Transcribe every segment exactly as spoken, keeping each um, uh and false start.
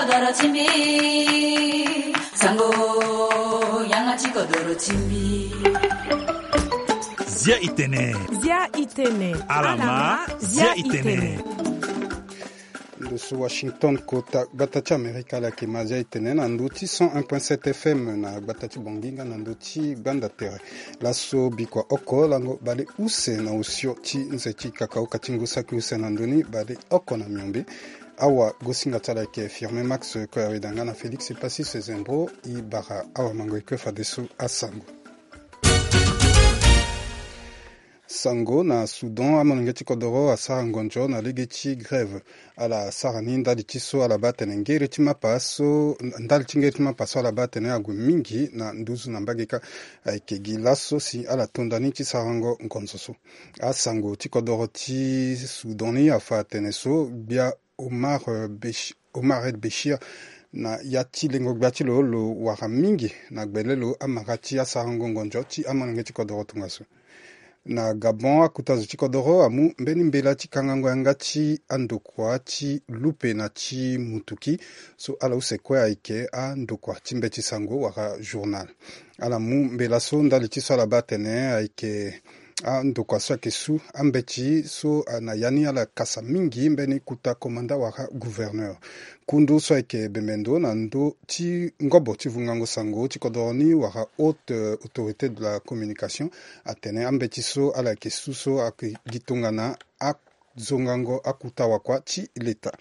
Kodoro ti mbi, sango, yanga ti kodoro ti mbi. Zia itene. Zia itene. Alama, zia itene. Ndo so Washington, kota gbata ti Amerika, ala yeke ma zia itene na ndo ti cent un point sept F M na gbata ti Bongi nga na ndo ti Gbanda Tere. Laso bikua oko lango bale use na osio ti nze ti kakaoka ti ngu saki use na ndo ni bale oko na miombe. Awa gosinga ti ala yeke Firmin Max Koyaweda nga na Félix Passy Sezembro. E bara awamango eke fadeso asango. Sango na Soudan, amolenge ti kodoro asara ngonzo na lege ti grève. Ala sara ni ndali ti so ala baa atene ngere ti mapa so, ndali ti ngere ti mapa so ala baa atene ague mingi na nduzu na mbage kâ. Ayeke gi laso si ala tonda ni ti sarango ngonzo so. Asango ti kodoro ti Soudan ni afa atene so gbia Omar, eh, Besh-, Omar El Bechir na ya ti lengo gbia ti lo lo wara mingi na gbele lo amara ti asarango ngonzo ti amolenge ti kodoro tongaso. Na Gabon, akuta zo ti kodoro amu mbeni mbela ti kangango yanga ti andokua ti lupe na ti mutuki so ala use kue ayeke andokua ti mbeti sango wala journal. Ala mu mbela so ndali ti so ala baa atene ayeke andokua so ayeke su ambeti so, ah, na ya ni ala kasa mingi mbeni kuta komanda wala gouverneur. Kundu so ayeke bembe ndo na ndö ti ngobo ti vungango sango ti kodoro ni wala haute, euh, autorité de la communication atene ambeti so ala yeke su so ayeke gi tongana a zongango akuta wakua ti leta.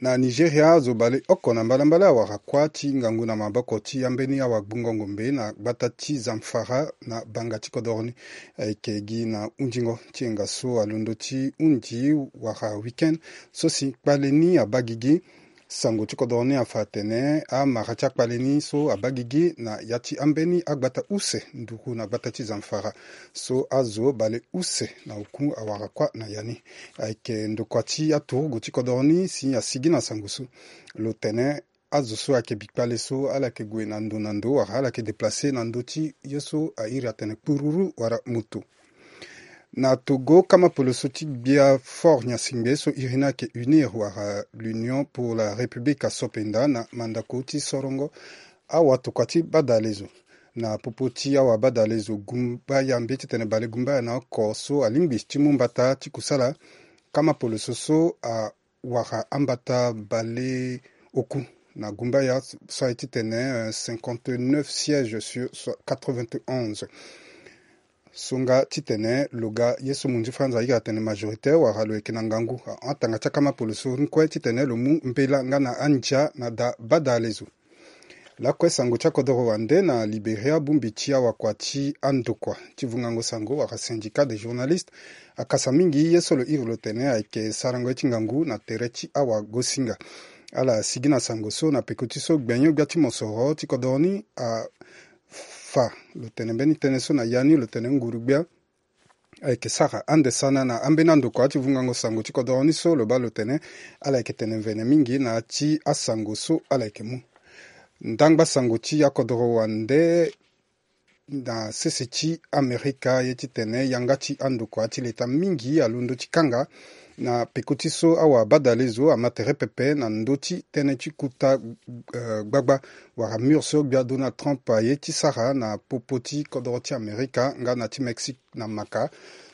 Na Nigeria, azo baleoko na mbalambala awara kuâ ti ngangu na maboko ti ambeni awagbungo ngombe na gbata ti Zamfara na banga ti kodoro ni. Ayeke gi na hundingo ti yenga so alondo ti hundi wara week-end so si kpale ni abaa gigi. Sango ti kodoro ni afa atene amara ti akpale ni so abaa gigi na ya ti ambeni agbata use nduru na gbata ti Zamfara so azo baleuse na oku awara kuâ na ya ni. Ayeke ndokua ti aturugu ti kodoro ni si asigi na sango so. Lo tene azo so ayeke bi kpale so ala yeke gue na ndo na ndo wala ala yeke déplacer na ndö ti ye so airi atene kpururu wala moto. Na Togo, kama poloso ti gbia Faure Gnassingbé so iri ni ayeke UNIR wala l'Union pour la République aso penda na mandako ti sorongo awatokua ti badalezo. Na popo ti awabadalezo gumbaya mbi titene balegumbaya na oko so alingbi ti mu mbata ti kusala, kama poloso so a wara ambata baleoku na gumbaya so aye titene, euh, cinquante-neuf sièges sur so-, quatre-vingt-onze. So nga titene lo ga ye so munzi franza airi atene majoritaire wala lo yeke na ngangu ahon atanga ti akama poloso ni kue titene lo mu mbela nga na andia na da badalezo. Lakue sango ti akodoro wande na Liberia, bongbi ti awakua ti andokua ti vungango sango wala syndicat des journalistes akasa mingi ye so lo iri lo tene ayeke sarango ye ti ngangu na tere ti awagosinga. Ala sigi na sango so na peko ti so gbenyo-gbia ti mosoro ti kodoro ni afa lo tene mbeni tënë so na ya ni lo tene nguru-gbia ayeke sara ande sana na ambeni andokua ti vungango sango ti kodoro ni so lo baa lo tene ala yeke tene mvene mingi na ya ti asango so ala yeke mu. Ndangba sango ti akodoro wande na sese ti Amerika ye titene yanga ti andokua ti leta mingi alondo ti kanga na peko ti so awabadalezo ama tere pepe na ndö ti tënë ti kuta, eh, gbagba wala mur so gbia Donald Trump aye ti sara na popo ti kodoro ti Amerika nga na ti Mexique na maka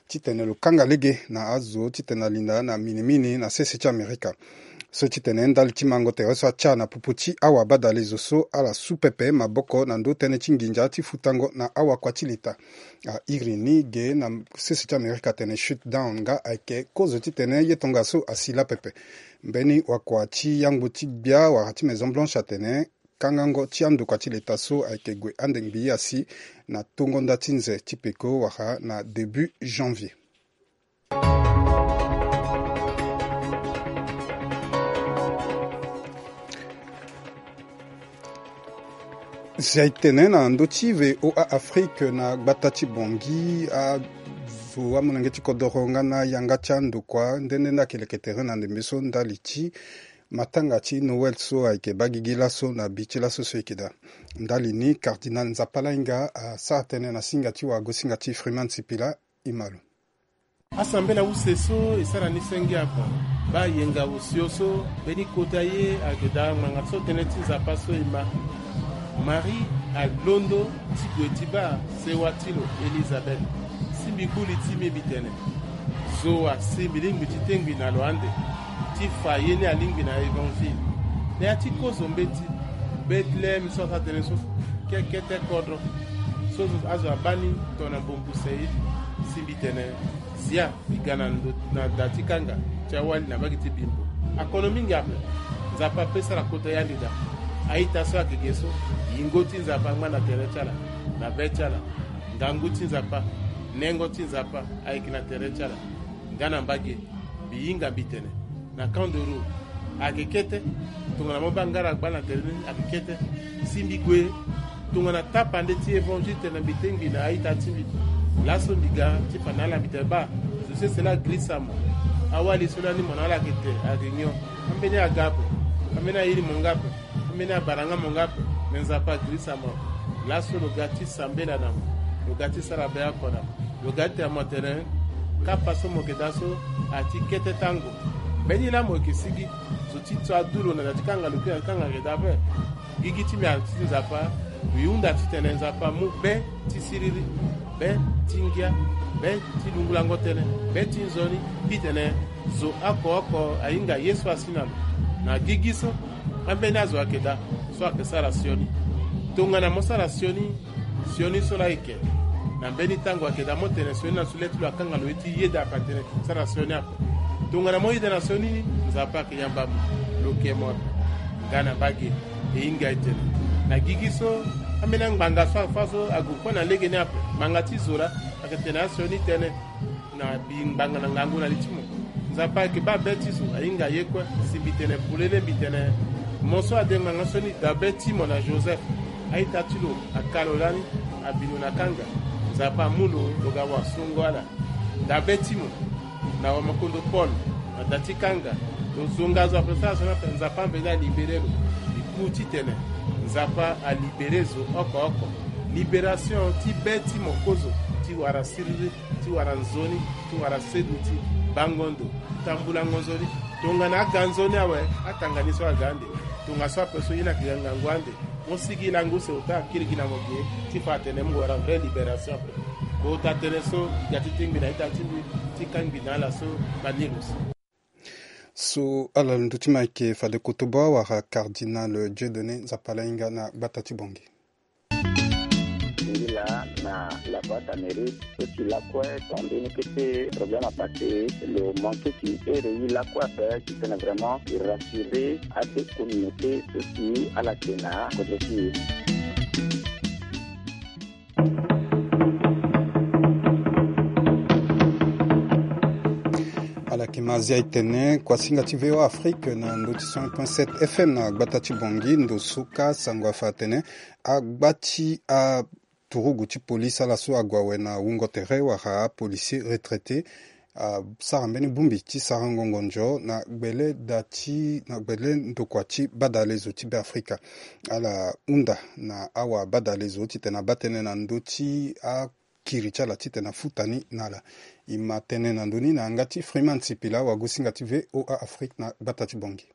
titene lo kanga lege na azo titene alinda na minimini na sese ti Amerika. So titene ndali ti mango tere so atia na popo ti awabadalezo so ala su pepe maboko na ndö tënë ti nginza ti futango na awakua ti leta. Airi ni ge na sese ti Amerika atene shutdown nga ayeke kozo titene ye tongaso asi laa pepe. Mbeni wakua ti yangbo ti gbia wala ti Maison Blanche atene kangango ti andokua ti leta so ayeke gue ande ngbii asi na tongo nda ti nze ti peko wala na début janvier. Si aye tene na ndö ti V O A Afrique na gbata ti Bangui, azo amolenge ti kodoro nga na yanga ti andokua nde nde nde ayeke leke tere na ndembe so ndali ti matanga ti Noël so ayeke baa gigi laso na bi ti laso so e yeke daa. Ndali ni, Cardinal Nzapa Lainga asara tënë na singa ti wagosinga ti Freeman Sipila. E ma lo. Asambela use so e sara ni senge ape. Baa yenga osio so mbeni kota ye ayeke daa ngbanga so tënë ti Nzapa so e ma. Marie alondo ti gue ti baa sewa ti lo Elizabeth. Si mbi gbu li ti mbi, mbi tene, zo asi mbi lingbi ti tengbi na lo ande ti fa ye ni alingbi na Évangile. Na ya ti kozo mbeti, Bethlehem so asara tënë so, kekete kodro so azo abaa ni tongana mbongbuse ye. Si mbi tene, zia mbi ga na ndo, na da ti kanga ti awali na mbage ti Bimbo. Akono mingi ape. Nzapa ape sara kota ye ande daa. A-ita so ayeke ge so, yingo ti Nzapa angba na tere ti ala, na be ti ala. Ngangu ti Nzapa, nengo ti Nzapa ayeke na tere ti ala. Nga na mbage, mbi hinga mbi tene, na Camp d'Euro ayeke kete. Tongana mo baa ngara gbaa na tere ni ayeke kete. Si mbi gue tongana tapande ti Évangile tene mbi tengbi na a-ita ti mbi. Laso mbi ga ti fa na ala, mbi tene baa, zo sese laa agirisa mo. Awali so lani mo na ala ayeke te, ayeke nyon. Ambeni aga ape. Ambeni ayiri mo nga ape. Ambeni abara nga mo nga ape. Me Nzapa agirisa mo. Laso lo ga ti sambela na mo. Lo ga ti sara be oko na mo. Lo ga ti tene mo tene, kapa so mo yeke daa so ati kete tango. Mbeni laa mo yeke sigi, zo ti so adu lo na da ti kanga, lo kiri na ti kanga ayeke daa ape. Gigi ti mbi ati ti Nzapa. Mbi hunda titene Nzapa amu be ti siriri, be ti ngia, be ti lungulango tënë, be ti nzoni. Titene zo oko oko ahinga ye so asi na lo. Na gigi so, ambeni azo ayeke daa so ayeke sara sioni. Tongana mo sara sioni, sioni so laa ayeke, na mbeni tango ayeke daa mo tene sioni na so le ti lo akanga lo ye ti yeda ape atene sara sioni ape. Tongana mo yeda na sioni ni, Nzapa ayeke yamba mo, lo ke mo ape. Nga na mbage, e hinga e tene, na gigi so, ambeni angbanga so afa so ague kue na lege ni ape, ngbanga ti zo laa ayeke tene asioni tënë na mbi ngbanga na ngangu na li ti mo. Nzapa ayeke baa be ti zo ahinga ye kue. Si mbi tene polele, mbi tene, mo so ade ngbanga sioni, daa be ti mo na Joseph. A-ita ti lo aka lo lani, abi lo na kanga. Nzapa amu lo, lo ga wasongo ala. Daa be ti mo na wamakondo Paul, na da ti kanga. Lo zonga zo ape sara sioni ape, Nzapa ambeni alibere lo. Mbi ku titene Nzapa alibere zo oko oko. Libération ti be ti mo kozo, ti wara siriri, ti wara nzoni, ti wara seduti, bango ndo, tambulango nzoni. Tongana aga nzoni awe, atanga ni so aga ande. Tongaso ape so ye ni ayeke ga ngangu ande. Mo sigi lango use, ota akiri gi na mo ge ti fa atene mo wara vraie libération ape. Kota tënë so, e ga ti tengbi na ita ti mbi, ti kangbi na ala so, Banilus. So ala ndö ti ma ayeke fade kotobo awara Cardinal Dieudonné, Nzapa laa ahinga na gbata ti Bangui. Ngila na la boîte à mérite, so si lakue ton mbeni kete problème à passer, lo manqué ti ere ye lakue ape, titene vraiment e rassurer ade communauté so si ala yeke na kodro ti e. Ala yeke ma zia e tene kuasinga ti V O A Afrique na ndö ti cent un point sept F M na gbata ti Bangui, ndo so kâ sango afa atene agba ti aturugu ti police ala so ague awe na wungo tere wala apolicier retraité asara mbeni bongbi ti sarango ngonzo na gbele da ti, na gbele ndokua ti badalezo ti Beafrika. Ala hunda na awabadalezo titene abaa tënë na ndö ti akiri ti ala titene afuta ni na ala. E ma tënë na ndö ni na yanga ti Freeman Sipila, wagosinga ti V O A Afrique na gbata ti Bangui.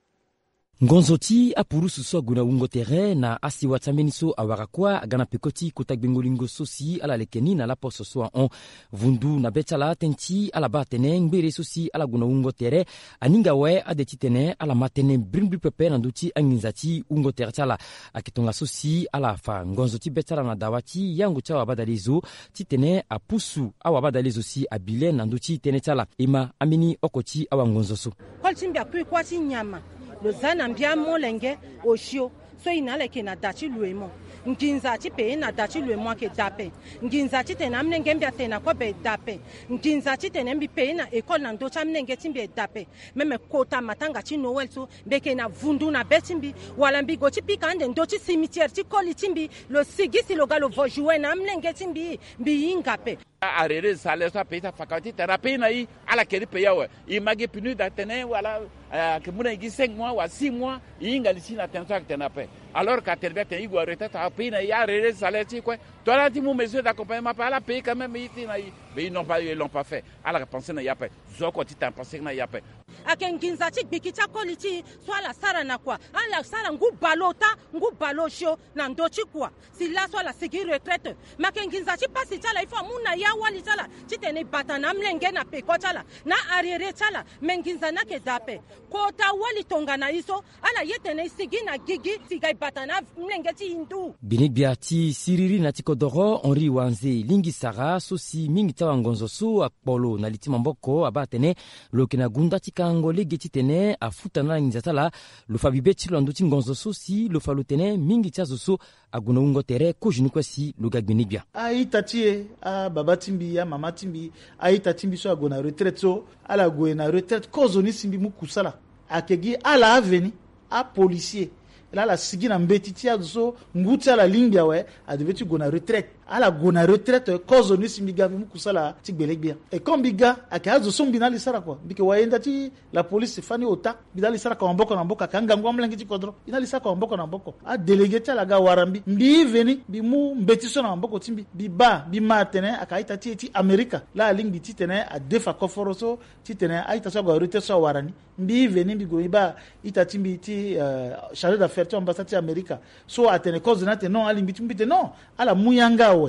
Ngonzo ti apurusu so ague na wungo tere na asewa ti ambeni so awara kuâ aga na peko ti kota gbengo lingo so si ala leke ni na laposo so ahon. Vundu na be ti ala tënë ti ala baa atene ngbere so si ala gue na wungo tere aninga awe ade titene ala ma tënë brimbri pepe na ndö ti anginza ti wungo tere ti ala. Ayeke tongaso si ala fa ngonzo ti be ti ala na dawa ti yango ti awabadalezo titene apusu awabadalezo si abi le na ndö ti tënë ti ala. E ma ambeni oko ti awangonzo so. Koli ti mbi akui kuâ ti nyama. Lo za na mbi amolenge osio. So e na ala yeke na da ti loemo. Nginza ti payer na da ti loemo ayeke da ape. Nginza titene amolenge mbi atene na kobe e da ape. Nginza titene mbi payer na école na ndö ti amolenge ti mbi e da ape. Même kota matanga ti Noël so, mbi yeke na vundu na be ti mbi. Wala mbi gue ti pika ande ndö ti cimetière ti koli ti mbi. Lo sigi si lo ga lo vo jouet na amolenge ti mbi. Mbi hinga ape. Arrerer salaire so apayer ti afaka titene apayer na i. Ala keri payer awe. I ma gi PNUD atene wala, eh, ayeke mu na i gi cinq mois wala six mois. I hinga li ti na tënë so ayeke tene ape. Alors que atene mbi atene i gue na retraite apayer na i arrerer salaire ti i kue. To ala ti mu mesure d'accompagnement ape ala payer quand même i ti na i. Mais ils n'ont pas, ils l'ont pas fait. Ala yeke pensé na i ape. Zo oko titene apenser na i ape. Ayeke nginza ti gbiki ti akoli ti i so ala sara na kua. Ala sara ngu bale ota, ngu bale osio na ndö ti kua. Si laso ala sigi retraite. Me ayeke nginza ti pasi ti ala il faut amu na ya awali ti ala titene e bata na amolenge na peko ti ala, na arriéré ti ala. Me nginza ni ayeke daa ape. Kota wali tongana e so, ala ye tene e sigi na gigi si ga e bata na amolenge ti e ndu. Gbinigbia ti siriri na ti kodoro Henri Wanze lingbi sara so si mingi ti awangonzo so akpo lo na li ti maboko abaa atene lo yeke na gunda ti kango lege titene afuta na ala nginza ti ala. Lo fa bibe ti lo na ndö ti ngonzo so si lo fa lo tene mingi ti azo so ague na wungo tere kozo ni kue si lo ga gbinigbia. A-ita ti e, ababa ti mbi, amama ti mbi, a-ita ti mbi so ague na retraite so, ala gue na retraite kozo ni si mbi mu kusala. Ayeke gi ala aveni, apolisier, laa ala sigi na mbeti ti azo so ngu ti ala lingbi awe, adeve ti gue na retraite. Ala gue na retraite kozo ni si mbi ga mbi mu kusala ti gbelegbia. E comme mbi ga, ayeke azo so mbi na ala e sara kua. Mbi yeke wayenda ti la police fani ota. Mbi na ala e sara kua maboko na maboko, ayeke angangu amolenge ti kodro. Mbi na ala e sara kua maboko na maboko. Adélégué ti ala aga wara mbi. Mbi veni, mbi mu mbeti so na maboko ti mbi. Mbi baa, mbi ma atene ayeke a-ita ti e ti Amerika laa alingbi titene adefa koforo so titene a-ita so ague na retraite so awara ni. Mbi veni mbi gue mbi baa ita ti mbi ti, eh, chargé d'affaires ti ambassade ti Amerika so atene kozo ni atene non, alingbi ti mbi tene non. Ala mu yanga awe.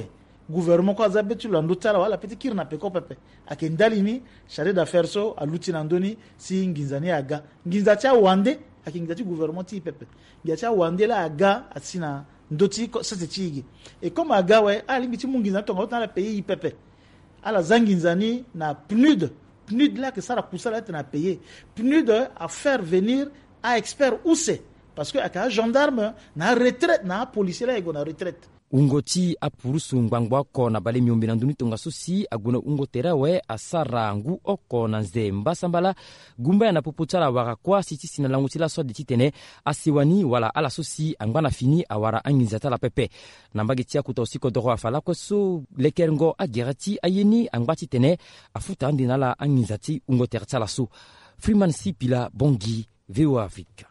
Gouvernement kue aza be ti lo na ndö ti ala wala ala pe ti kiri na peko pepe. Ayeke ndali ni chargé d'affaires so aluti na ndö ni si nginza ni aga. Nginza ti awande ayeke nginza ti gouvernement ti e pepe. Nginza ti awande laa aga asi na ndö ti ko-, sese ti e ge. Et comme aga awe, ala lingbi ti mu nginza ni tongana ota na ala payer e pepe. Ala za nginza ni na PNUD. PNUD laa ayeke sara kusala ti tene apayer. PNUD afaire venir a-expert use. Parce que ayeke agendarme na aretraite, na apolisier laa e gue na retraite. Wungo ti apurusu ngbangbo oko na bale miombe na ndö ni tongaso si ague na wungo tere awe asara ngu oko na nze mbasambala. Gumba ya na popo ti ala awara kuâ si ti si na lango ti laso ade titene asewa ni wala ala so si angba na fini awara anginza ti ala pepe. Na mbage ti akota aussi kodoro afa lakue so lekerengo agere ti aye ni angba titene afuta ande na ala anginza ti wungo tere ti ala so. Freeman Sipila Bongi, V O A Afrique.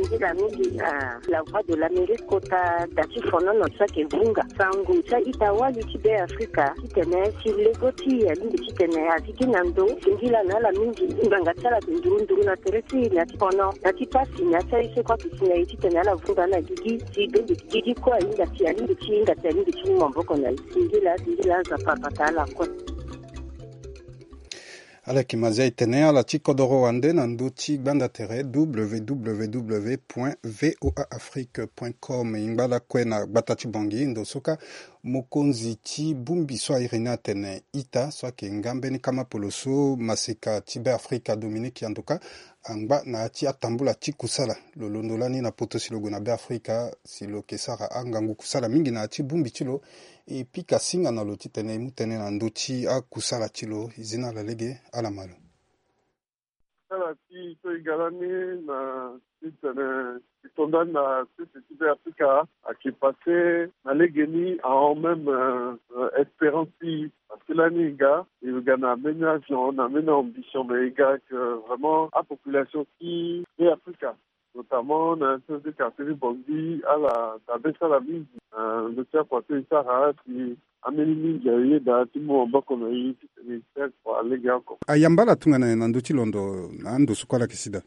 Nzila mingi na La Voix de l'Amérique kota da ti fonono so ayeke vunga sango ti a-ita wali ti Be Afrika titene si lego ti e alingbi titene aziki na ndo singila na ala mingi. Ngbanga ti ala ayeke nduru nduru na tere ti e na ti fono na ti pasi na ya ti aye so kue ayeke si na e titene ala vunga na gigi si bende gigi kue ahinga si alingbi ti hinga si alingbi ti mu maboko na e. Singila singila aza papa ta ala kue. Ala yeke mazia e tene ala ti kodoro wande na ndö ti gbanda tere W W W point V O A Afrique point com. E ngba lakue na gbata ti Bangui ndo so ka mokonzi ti bongbi so airi ni atene ita so ayeke nga mbeni kama polo so maseka ti Be Afrika Dominique Yandoka angba na ya ti atambula ti kusala. Lo londo lani na poto si lo gue na Be Afrika si lo yeke sara angangu kusala mingi na ya ti bongbi ti lo. E pika singa na lo titene e mu tënë na ndö ti akusala ti lo. E zi na ala lege, ala ma lo. Kusala ti so e ga lani na titene e to ndani na sese ti Be Afrika ayeke passé na legeni ahon même, euh, euh, espérance ti e. Parce que lani e ga, e ga na mbeni avion, na mbeni ambition, mais e ga que vraiment apopulation ti Be Afrika, notamment na ya ti quartier ti Bangui, ala dabe ti ala mingi, euh, ndö ti akua so e sara si ambeni mingi ayeda ti mu maboko na e titene e sere kua lege oko. Ayamba ala tongana nyen na ndö ti londo na ando so kue ala yeke sida?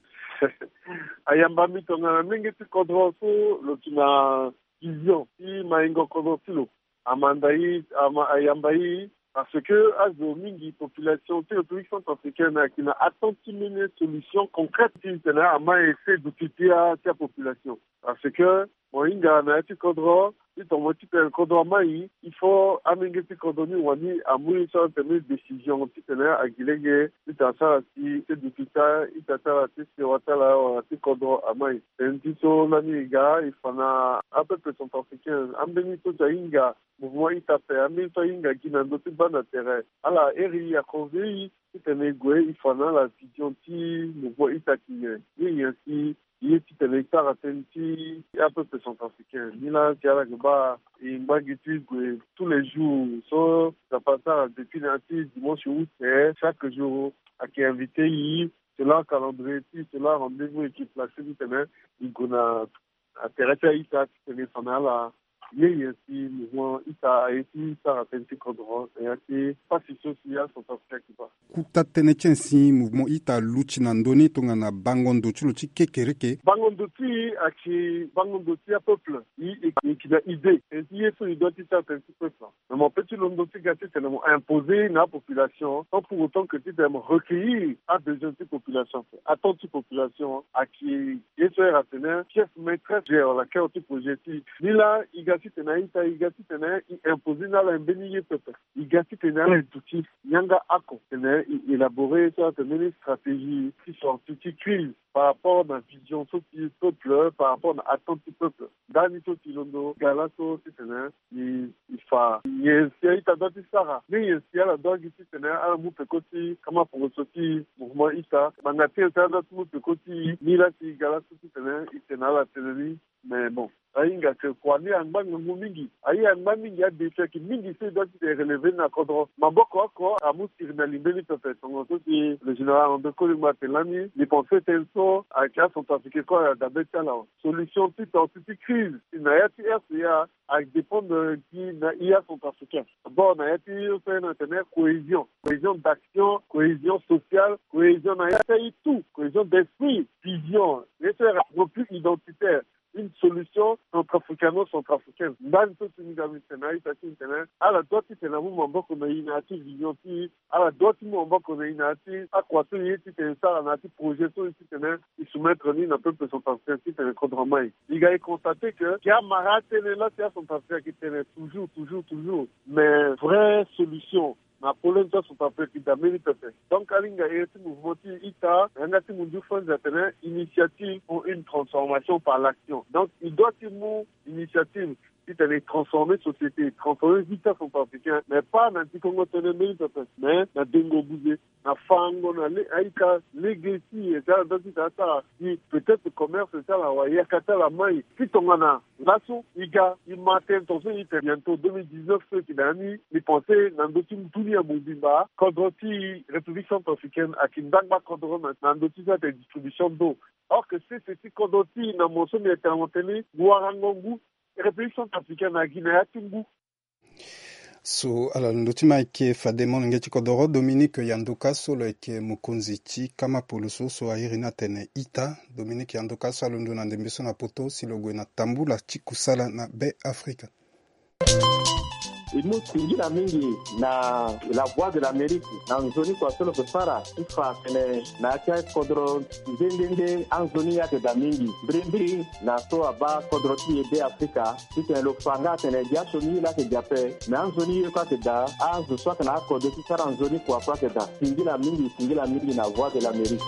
Ayamba mbi tongana molenge ti kodro so lo yeke na vision ti maingo kodro ti lo. Amanda e, ama, ayamba e, parce que azo mingi, population ti République centrafricaine ayeke na attente ti mbeni solution concrète titene ama essayer duti ti a, ti apopulation. Parce que mo hinga na ya ti kodro, ti tongana mo ti tene kodro amai, il faut amolenge ti kodro ni wani amu ye so atene décision titene agi lege titene asara si ti duti ti a-ita ti ala, ti sewa ti ala wala ti kodro amai. Tënë ti so lani e ga e fa na apeuple centrafricain, ambeni so ti ahinga mouvement ita ape, ambeni so ahinga gi na ndö ti gbanda tere, ala iri e, aconseiller e titene e gue e fa na ala vision ti mouvement ita ayeke nyen, ye nyen si ye titene e sara tënë ti apeuple centrafricain. Ni laa si ala yeke baa e ngba gi ti gue tous les jours so Nzapa asara depuis na ya ti dimanche août, eh, chaque jour ayeke invité e selon calendrier ti e, selon rendez-vous e yeke placer titene e gue na na tere ti a-ita titene e fa na ala. Ye nyen si mouvement ita aye ti sara tënë ti kodro na ya ti pasi so si acentrafricain ayeke baa? Kota tënë ti nyen si mouvement ita aluti na ndö ni tongana bango ndo ti lo ti kekereke? Bango ndo ti e ayeke bango ndo ti apeuple. E yeke na idée tënë ti ye so e doit ti sara tënë ti peuple. Mais mo peut ti londo ti ga titene mo imposer na apopulation sans pour autant que titene mo recueillir abesoin ti population. Attente ti population ayeke ye so e ra atene pièce maîtresse de wala cœur ti projet ti e. Ni laa e ga titene a-ita e ga titene e imposer na ala mbeni ye pepe. E ga titene ala duti yanga oko titene e élaborer ye so atene mbeni stratégie ti sortie ti crise par rapport na vision so ti peuple, par rapport na attente ti peuple. Ndani so ti londo ga laso titene e, e fa nyen si a-ita doit ti sara, ni nyen si ala doit gi titene ala mu peko ti kama poroso ti mouvement ita. Ngbanga ti nyen si ala doit ti mu peko ti e, ni laa si ga laso titene e tene na ala tënë ni. Mais bon, ahinga ke kua ni angba ngangu mingi. Aye angba mingi, adéfi ayeke mingi so e doit ti tene relever ni na kodro. Maboko oko amu sirina li mbeni pepe tongaso si le général André Kolingba atene lani, mbi pense tënë so ayeke acentrafricain kue ayeke dabe ti ala awe. Solution ti sortie ti crise si na ya ti R C A ayeke dépendre gi na ya centrafricain. D'abord na ya ti so e na tene cohésion, cohésion d'action, cohésion sociale, cohésion na ya ti aye tout, cohésion d'esprit, vision, ye so e ra plus identitaire, une solution centrafricano-centrafricaine. Ndani so si ni ga mbi tene na a-ita ti ni tene ala doit titene amu maboko na e na ya ti vision ti e. Ala doit ti mu maboko na e na ya ti akua so e ye titene e sara na ya ti projet so e ye titene e soumettre ni na peuple centrafricain titene kodro ama e. E ga e constater que e amara atënë laa si acentrafricain ayeke tene toujours, toujours, toujours. Mais vraie solution na problème ti acentrafricain ayeke daa mbeni pepe. Donc alinga ere ti mouvement ti ita na yanga ti mundu French atene initiative pour une transformation par l'action. Donc e doit ti mu initiative titene e transformer société, e transformer vie ti acentrafricain, mais pas na dikongo tënë mbeni pepe, mais na dengo buze, na fango na le, a-ita lege ti e si ala doit ti tene asara si peut-être commerce ti ala wala yaka ti ala mai. Ti tongana laso e ga e ma tënë tongaso e tene bientôt deux mille dix-neuf so e yeke na ya ni, mbi pense na ndö ti dunia mobimba kodro ti République centrafricaine ayeke ndangba kodro na, na ndö ti so atene distribution d'eau. Or que sese ti kodro ti e na mo so mbi yeke tene na mo tënë ni, warango ngu République centrafricaine ayeke gi na ya ti ngu. So ala londo ti ma ayeke fade molenge ti kodoro Dominique Yandoka so lo yeke mokonzi ti kama poloso so a iri ni atene ita. Dominique Yandoka so alondo na ndembe so na poto si lo gue na tambula ti kusala na Be Afrika. E mu singila mingi na La Voix de l'Amérique na nzoni kua so lo yeke sara ti fa atene na ya ti akodro nde nde nde anzoni ye ayeke daa mingi mbirimbiri na so abaa kodro ti e Be Afrika. Titene lo fa nga atene gi asioni ye laa ayeke gi ape, me anzoni ye kue ayeke daa, azo so ayeke na akode ti sara nzoni kua kue ayeke daa. Singila mingi, singila mingi na Voix de l'Amérique.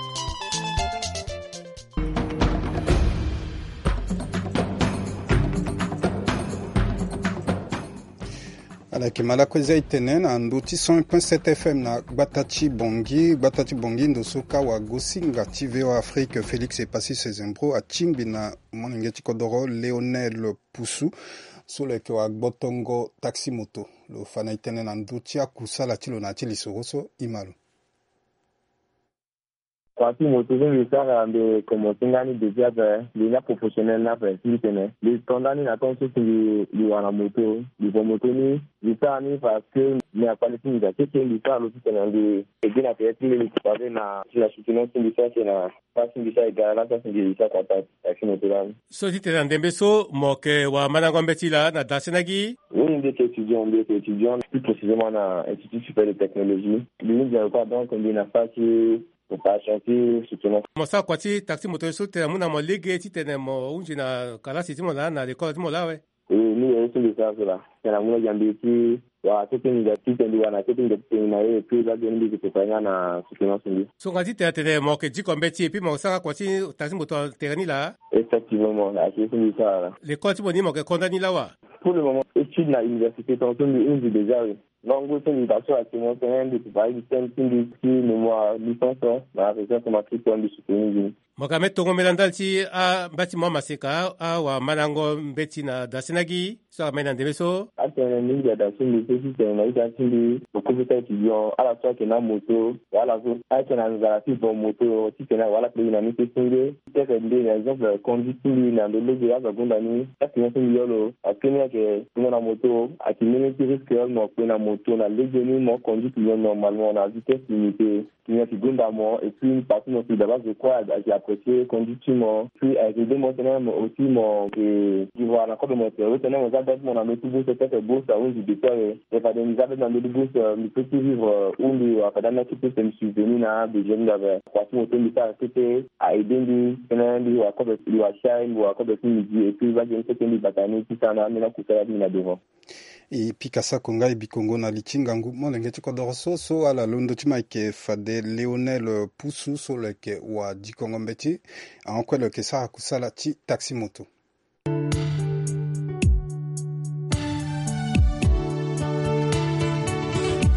Ala yeke ma lakue zia e tene na ndö ti cent un point sept F M na gbata ti Bangui. Gbata ti Bangui ndo so ka wagosinga ti V O A Afrique Félix Epassi Sezembro atingbi na molenge ti kodoro Léonel Poussou so lo yeke wagbotongo taxi moto. Lo fa na e tënë na ndö ti akusala ti lo na ya ti lisoro so e ma lo. Taxi moto so mbi sara mbi komanse nga ni depuis ape, mbi nga professionnel ni ape ti mbi tene mbi to ndani na temps so si mbi wara moto, mbi vo moto ni, mbi sara ni parce que mbi na kpale ti mbi daa keke, mbi sara lo titene mbi eke gi na tere ti mbeni ti pavé na ti na soutenance ti mbi so ayeke na Pasi mbi sara e gara laa so si mbi sara kua taxi moto lani. So titene na ndembe so mo yeke wara mandango mbeti laa na da sena gi? Oui, mbi yeke étudiant, mbi yeke étudiant, plus précisément na Institut supérieur de technologie. Mbi hunzi na lo kue, donc mbi na stage ti préparation ti soutenance. Mo sara kua ti taxi moto so titene amu na mo lege titene mo hunzi na kalasi ti mo laa na lekole ti mo laa awe? E, ni yere so mbi sara so laa. Tena muna jambi ti wara kete ni da ti tendi wara na kete ni da ti tendi na ye, e puis laa geni mbi yeke prépare nga na soutenance mbi. So nga ti tena tene mo yeke diko mbeti et puis mo yeke sara kua ti taxi moto na tere ni laa? Effectivement, mo ayeke ye so mbi sara laa. Lekole ti mo ni mo yeke ko ndani laa wa? Pour le moment étude na université tongaso mbi hunzi déjà, oui. Non, ngu so mbi baa so actuellement tene mbi prépare système ti mbi ti mémoire licence na région so ma ti kue mbi soutenir mbi. Mo ka me tongo mbela ndali ti ambati mo amaseka awamandango mbeti na dasinagi so amai na ndembe so. Atene mingi ada ti mbi so ti tene na ita ti mbi, lokofeta étudiant ala so ayeke na moto, wala so ayeke na nzara ti vo moto ti tene wala pe gi na ni ti sunge. Ti teke nde na exemple conduite ti mbi na ndo lege azo agonda ni. Ti accident ti mbi yo lo, parce que ni ayeke tongo na moto ayeke mbeni ti risque, mo kpe na moto na lege ni mo conduite yo normalement na vitesse limitée. Ti ni ayeke gonda mo et puis partout mo si daba zo kue ayeke apprécier conduite ti mo. Puis ayeke aidé mo tene mo aussi mo yeke vivre na kodro mo tere tene mo za bête mo na ndo ti bourse, ti ayeke bourse ahunzi depuis awe. E fade mbi za bête na ndo ti bourse, mbi peut ti vivre, ou mbi wara fade anda ti peut mbi subvenir na besoin ti mbi ape. Kua ti mo so mbi sara kete a aidé mbi tene mbi wara kobe, mbi wara chai, mbi wara kobe ti midi et puis bage ni kete mbi bata ni ti sara na ambeni akusala ti mbi na devant. E pika sako nga e bikongo na li ti ngangu molenge ti kodoro so so ala londo ti ma ayeke fade Léonel Poussou so lo yeke wa dikongo mbeti. Ahon kue lo yeke sara kusala ti taxi moto.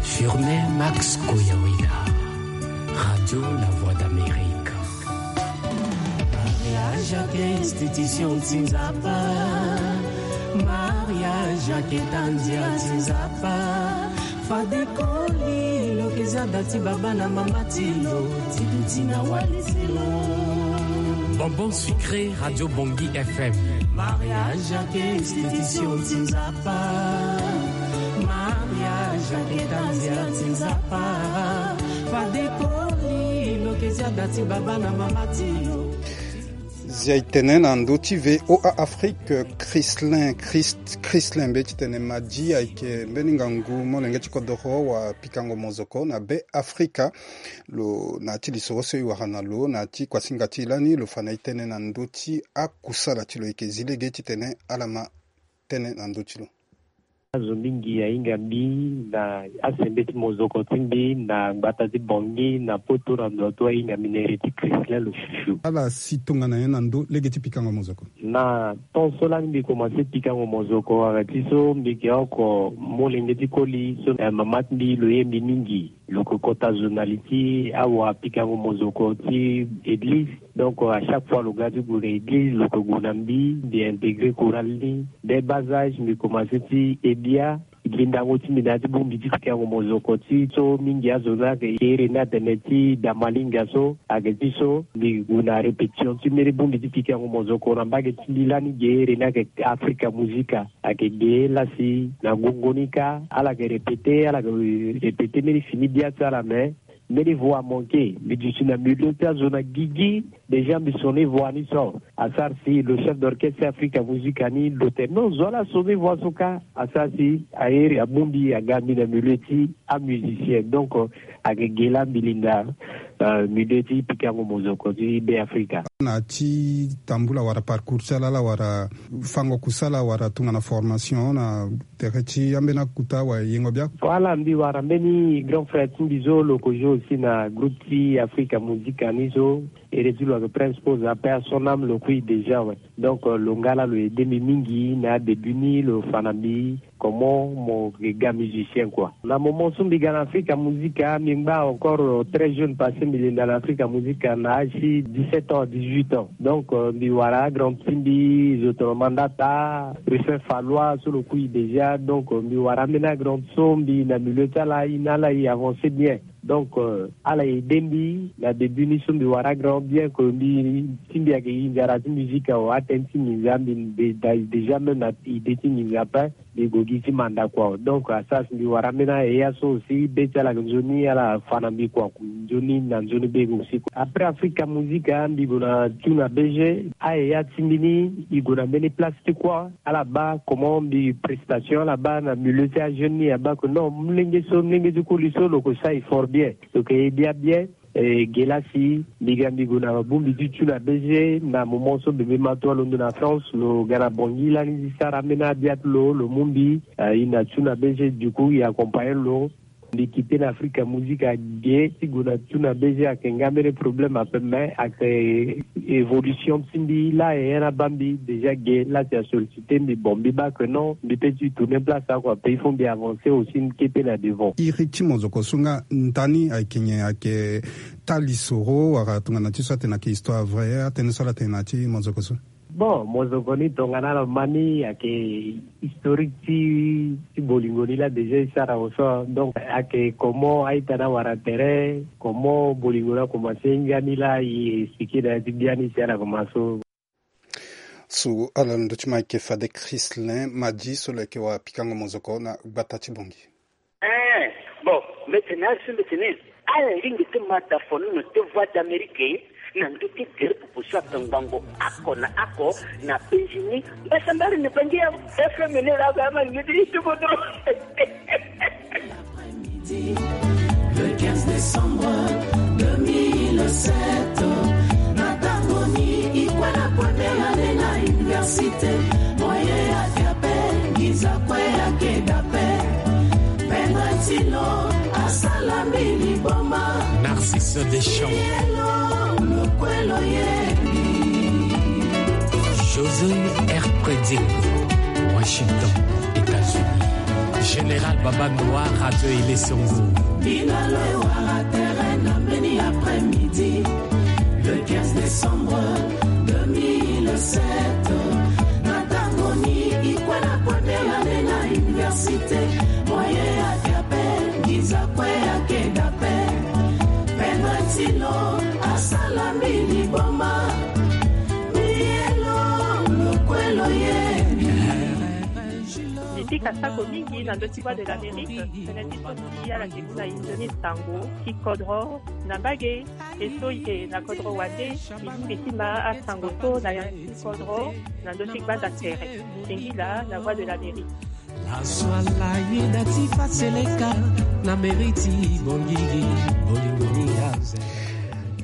Firmin Max Koyaweda, Radio La Voix d'Amérique. Mariage ayeke institution ti Nzapa. Mariage ayeke tandia ti Nzapa. Fade koli lo yeke za da ti baba na mama ti lo ti duti na wali ti lo. Bonbon sucré, Radio Bongi F M. Mariage ayeke institution ti Nzapa. Mariage ayeke tandia ti Nzapa. Fade koli lo yeke za da ti baba na mama ti lo. Zia e tene na ndö ti V O A Afrique, Chrislin, Christ, Chrislin mbeti tene Madi ayeke mbeni ngangu molenge ti kodoro wa pikango mozoko na Be Afrika. Lo na ya ti lisoro so e wara na lo na ya ti kuasinga ti e lani lo fa na e tene na ndö ti akusala ti lo, e yeke zi lege titene ala ma tënë na ndö ti lo. Azo mingi ahinga mbi na asembeti mozoko ti mbi na ngbata ti Bangui na poto na ndo atu ahinga mbi na ere ti Chrislin lo fiufiu. Ala si tongana nyen na ndö lege ti pikango mozoko? Na temps so lani mbi komanse pikango mozoko, ayeke ti so mbi yeke oko molenge ti koli so, eh, mama ti mbi lo ye mbi mingi. Lo yeke kota zo na li ti awapikango mozoko ti église. Donc, à chaque fois lo ga ti gue na église, lo yeke gue na mbi, mbi intégrer chorale ni. Dès bas âge mbi komanse ti he bia. Gi ndango ti mbi na ya ti bongbi ti pikango mozoko ti so mingi azo ni ayeke ge here ni atene ti da malinga so. Ayeke ti so mbi gue na répétition ti mbeni bongbi ti pikango mozoko na mbage ti mbi lani ge here ni ayeke Africa Musica. Ayeke ge la si na gongo ni kâ ala yeke répéter, ala yeke répéter mbeni fini bia ti ala, mais mbeni voix amanqué. Mbi duti na milieu ti azo na gigi. Déjà mbi sonner voix ni so. Asara si lo chef d'orchestre ti Africa Musica ni lo tene non, zo ala sonner voix so kâ. Asara si ahere abongbi aga mbi na milieu ti amusicien. Donc, ayeke ge la mbi linda, euh, milieu ti pikango mozoko ti Be Afrika. Na ti tambula wala parcours ti ala, ala wara fango kusala wala tongana formation na tere ti ambeni akuta wala yengo bia? Voilà, mbi wara mbeni grand frère ti mbi so lo yeke jouer aussi na groupe ti Africa Musica ni so. Ere ti lo ayeke Prince Pose, paix à son âme, lo kui déjà, ouais. Donc, euh, lo nga la lo aidé mbi mingi na adébut ni, lo fa na mbi comment mo yeke ga musicien, quoi. Na moment so mbi ga na Africa Musica, mbi ngba encore, euh, très jeune, parce que mbi linda na Africa Musica na âge ti dix-sept ans, dix-huit ans. Donc, euh, mbi wara agrand ti mbi, zo tongana Mandata, Ruffin Fallois so lo kui déjà. Donc, euh, mbi wara ambeni agrand so mbi na milieu ti ala, e na ala e avancer bien. Donc, euh, ala aidé mbi na début ni so mbi wara grand, bien que mbi ti mbi ayeke gi nzara ti musique awe, atene ti nginza mbi, mbi déjà même na idée ti nginza ape, mbi gue gi ti manda kua. Donc, asara si mbi wara ambeni aheya so aussi, be ti ala ayeke nzoni, ala fa na mbi kua, nzoni na nzoni be aussi. Après Africa Musica, mbi gue na tune na B G, aheya ti mbi ni e gue na mbeni place ti kua. Ala baa comment mbi prestation, ala baa na milieu ti ajeune ni, abaa que non, molenge so, molenge ti koli so lo yeke sara effort bien, lo yeke ye bia bien. E ge la si mbi ga mbi gue na bongbi ti tune na B G, na moment so bebe ma to alondo na France, lo ga na Bangui lani ti sara ambeni abia ti lo, lo mu mbi, e na tune na B G, du coup e accompagner lo. Mbi kite na Afrika Musique age ti gue na tu na B G ayeke nga mbeni problème ape, mais ayeke évolution ti mbi laa e ya na baa mbi déjà ge laa si asollicité mbi, bon, mbi baa que non, mbi peut ti tourner place oko ape, il faut mbi avancer aussi, mbi ke pe na devant. Iri ti mozoko so nga ndani ayeke nyen? Ayeke taa lisoro wala tongana ti so atene ayeke histoire vraie, atënë so ala tene na ya ti mozoko so? Bon, mozoko ni tongana ala ma ni ayeke historique ti, ti bolingo ni laa déjà e sara awe so. Donc ayeke comment a-ita ni awara tere, comment bolingo ni akomanse hinga ni laa e expliqué na ya ti bia ni si ala komanse so. So ala na ndö ti ma ayeke fade Christlin Madi so lo yeke wara pikango mozoko na gbata ti Bangui. Eh, bon, mbi tene azo so mbi tene ala lingbi ti ma dafono na ti Voix d'Amérique na ndö ti gere pupu so atongbango oko na oko na penzi ni. Mbasambari na Bangui ya F M ni laa aba ama ni ti ti kodro. Le quinze décembre deux mille sept, na tango ni e kue na première année na université, moyen ayeke ape, nginza kue ayeke dape. Pendre ti lo asala mbi liboma. Narcisse Deschamps. Yelo lo kue lo ye. José R. Preding, Washington, États-Unis. Général Baba Noir, Radio Ilé Songo. Bino lo wara tere na mbeni après-midi, le quinze décembre deux mille sept. Na tango ni e kue na première année na université, moyen ayeke ape, nginza kue ayeke dape. Pendre ti lo asala mbi liboma. Mbi ye lo, lo kue lo ye. Mbi pika sako mingi na ndö ti Voix de l'Amérique, tënë ti so mbi ala ke mu na inzo ni sango ti kodro na mbage. E so e yeke na kodro wande, e lingbi ti ma asango so na ya ti kodro na ndö ti gbanda tere. Singila na Voix de l'Amérique. Azo ala yeda ti fa seleka na mairie ti Bangui, bolingo ni aze.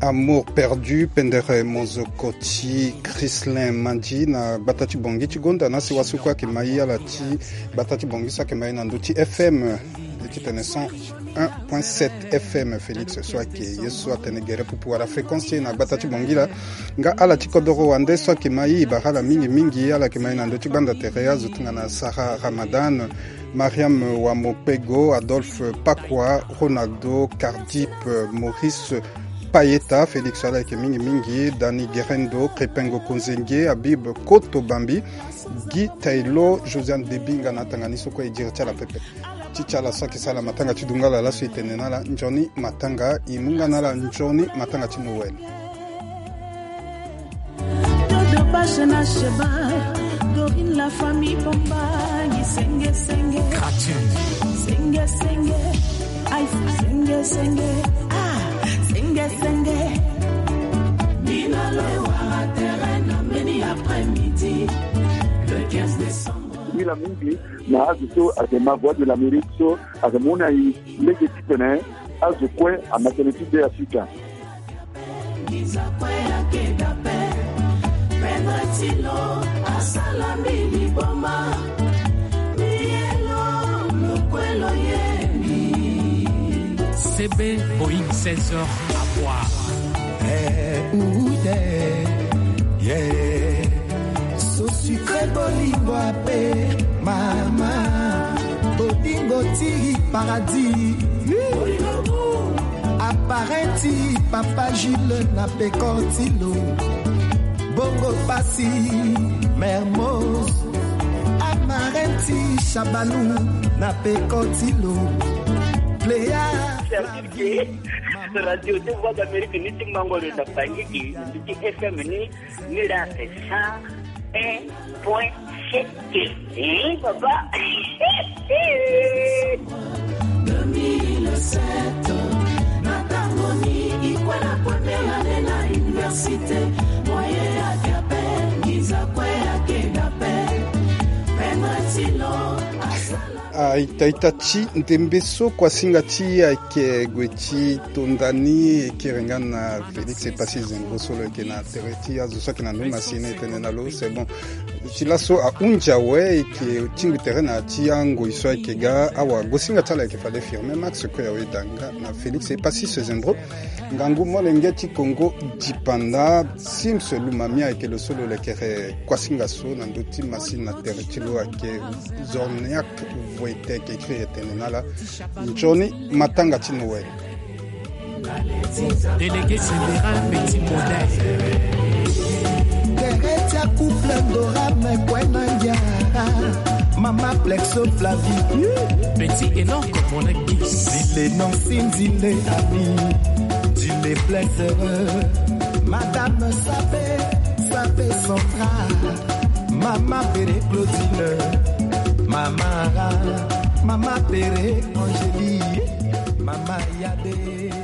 Amour perdu, pendere mozoko ti Christlin Madi na gbata ti Bangui ti gonda na sewa so kue ayeke ma e ala ti gbata ti Bangui so ayeke ma e na ndö ti F M. Ti tene cent un point sept F M, Félix so ayeke ye so atene gere pupu wala fréquence ti e na gbata ti Bangui laa. Nga ala ti kodoro wande so ayeke ma e, e bara ala mingi mingi. Ala yeke ma e na ndö ti gbanda tere, azo tongana Sarah Ramadan, Mariam Wamopego, Adolphe Pakwa, Ronaldo, Cardip, Maurice Payeta, Félix ala yeke mingi mingi, Dani Gerendo, Crépin Ngongo Nzenge, Habib Koto Bambi, Guy Taylor, Josiane Debi nga na atanga ni so kue e diri ti ala pepe. Ti ti ala so ayeke sara matanga ti dungala laso e tene na ala nzoni matanga, e mu nga na ala nzoni matanga ti Noël. Dodo Bache na Sheba, Dorine la famille Bombangi, senge senge. Senge senge. Aïe, senge senge. Ah, senge senge. Bino lo wara tere na mbeni après-midi, le quinze décembre. Mila mingi na azo so ayeke ma Voix de l'Amérique so ayeke mu na e lege titene azo kue ama tënë ti Be Afrika. Nginza kue ayeke dape. Pendre ti lo asala mbi liboma. Mbi ye lo, lo kue lo ye mbi. C B Boeing seize heures à boire. Eh, ouh, yeah, yeah. So sucré bolingo ape, mama. Bolingo ti paradis. Appareil ti Papa Jules na peko ti lo. Bongo pasi Mermoz. Amarin ti Shabanou na peko ti lo. Pléa. Radio ti Voix d'Amérique ni ti mango lo na Bangui, ni ti F M ni, ni la cent un point sept. Eh, papa. Deux mille sept, na tango ni e kue na première année na université, moyen ayeke ape, nginza kue ayeke dape. Pendre ti lo asala. A ita ita ti ndembe so kua singa ti e ayeke gue ti tonda ni, e kiri nga na Félix e pasi zengo so lo yeke na tere ti azo so ayeke na ndö masini e tene na lo, c'est bon. Ti laso ahunzi awe eke tingbi tere na ti angoi so ayeke ga awa. Gosinga ti ala ayeke fade Firmin Max, Koya Wedanga na Félix Epassis Zembro. Ngangu molenge ti Kongo dipanda, Sims Lumamia ayeke lo so lo lekere kuasinga so na ndö ti masini na tere ti lo ayeke Zorniak Voetek, écrit etene na ala. Nzoni matanga ti Noël. Délégué général, petit modèle. Tere ti akouple Ndora me kue na ngia. Mama Plexo Flavie. Petit Enoch Monakis. Dile non si ndile ami. Dile Plexo. Madame Sabe, Sabe Central. Mama Pere Claudine. Mama Ara. Mama Pere Angélie. Mama Yade.